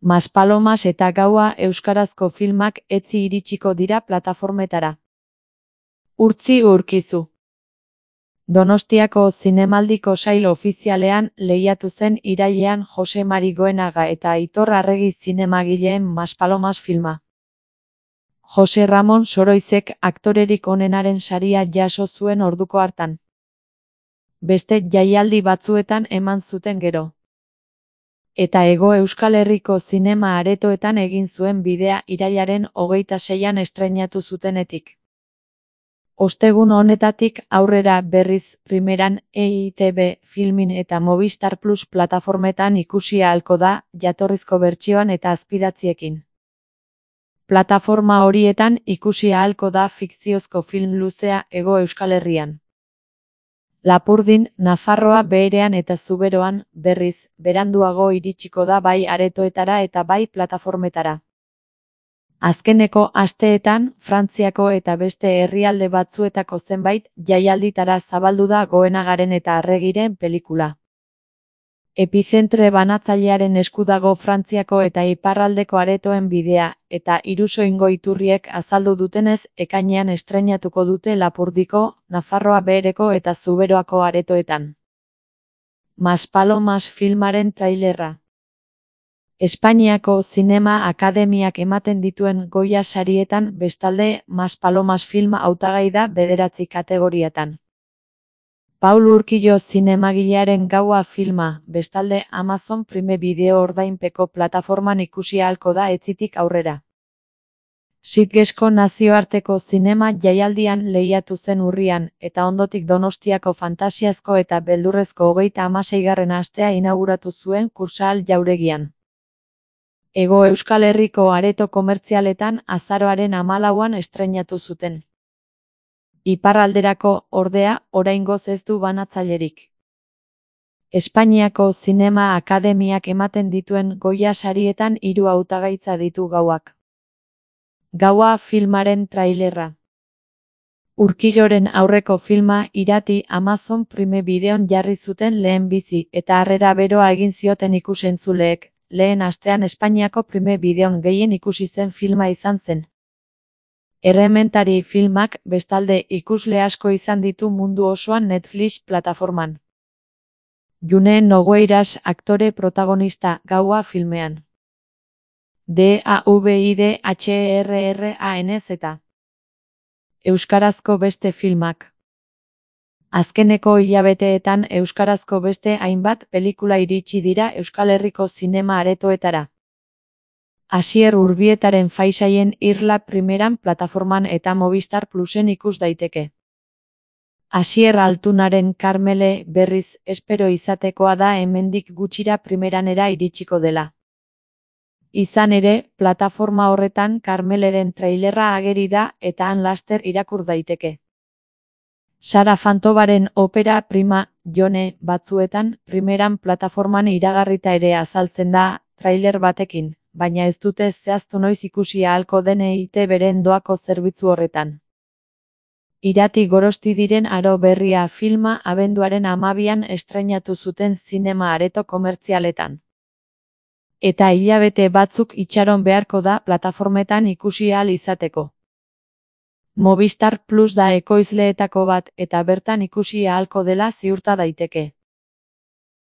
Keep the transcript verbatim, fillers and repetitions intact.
Maspalomas eta Gaua euskarazko filmak etzi iritsiko dira plataformetara. Urtzi Urkizu. Donostiako Zinemaldiko sail ofizialean lehiatu zen irailean Jose Mari Goenaga eta Aitor Arregi zinemagileen Maspalomas filma. Jose Ramon Soroizek aktorerik onenaren saria jaso zuen orduko hartan. Beste jaialdi batzuetan eman zuten gero. Eta Hego Euskal Herriko zinema aretoetan egin zuen bidea irailaren hogeita seian estreinatu zutenetik. Ostegun honetatik aurrera berriz primeran E I Te Be Filmin eta Movistar Plus plataformetan ikusi ahalko da jatorrizko bertsioan eta azpidatziekin. Plataforma horietan ikusi ahalko da fikziozko film luzea Hego Euskal Herrian. Lapurdin, Nafarroa Beherean eta Zuberoan, berriz, beranduago iritsiko da bai aretoetara eta bai plataformetara. Azkeneko asteetan, Frantziako eta beste herrialde batzuetako zenbait jaialditara zabaldu da Goenagaren eta Arregiren pelikula. Epizentre banatzailearen esku dago Frantziako eta iparraldeko aretoen bidea, eta Irusoingo iturriek azaldu dutenez ekainean estreinatuko dute Lapurdiko, Nafarroa Behereko eta Zuberoako aretoetan. Maspalomas filmaren trailerra. Espainiako Zinema Akademiak ematen dituen Goya sarietan bestalde Maspalomas filma hautagai da bederatzi kategoriatan. Paul Urkillo zinemagilearen Gaua filma, bestalde Amazon Prime Video ordainpeko plataforman ikusi ahalko da etzitik aurrera. Sitgesko nazioarteko zinema jaialdian lehiatu zen urrian, eta ondotik Donostiako fantasiazko eta beldurrezko hogeita hamaseigarren astea inauguratu zuen Kursaal jauregian. Hego Euskal Herriko areto komertzialetan azaroaren hamalauan estreinatu zuten. Iparralderako, ordea, oraingoz ez du banatzailerik. Espainiako Zinema Akademiak ematen dituen Goya sarietan hiru hautagaitza ditu Gauak. Gaua filmaren trailerra. Urkilloren aurreko filma irati Amazon Prime Videon jarri zuten lehenbizi eta harrera beroa egin zioten ikusentzuleek, lehen astean Espainiako Prime Videon gehien ikusi zen filma izan zen. Errementari filmak bestalde ikusle asko izan ditu mundu osoan Netflix plataforman. June Nogueiras aktore protagonista Gaua filmean. D A V I D H E R R A N Z. Euskarazko beste filmak. Azkeneko hilabeteetan euskarazko beste hainbat pelikula iritsi dira Euskal Herriko zinema aretoetara. Asier Urbietaren Faisaien Irla primeran plataforman eta Movistar Plusen ikus daiteke. Asier Altunaren Karmele berriz espero izatekoa da hemendik gutxira primeranera iritsiko dela. Izan ere, plataforma horretan Karmeleren trailerra ageri da eta han laster irakur daiteke. Sara Fantobaren opera prima, Jone, batzuetan, primeran plataforman iragarrita ere azaltzen da, trailer batekin, baina ez dute zehaztu noiz ikusi ahalko den E I Te Beren doako zerbitzu horretan. Irati Gorosti diren aro berria filma abenduaren hamabian estreinatu zuten zinema areto komertzialetan. Eta hilabete batzuk itxaron beharko da plataformetan ikusi ahal izateko. Movistar Plus da ekoizleetako bat eta bertan ikusi ahalko dela ziurta daiteke.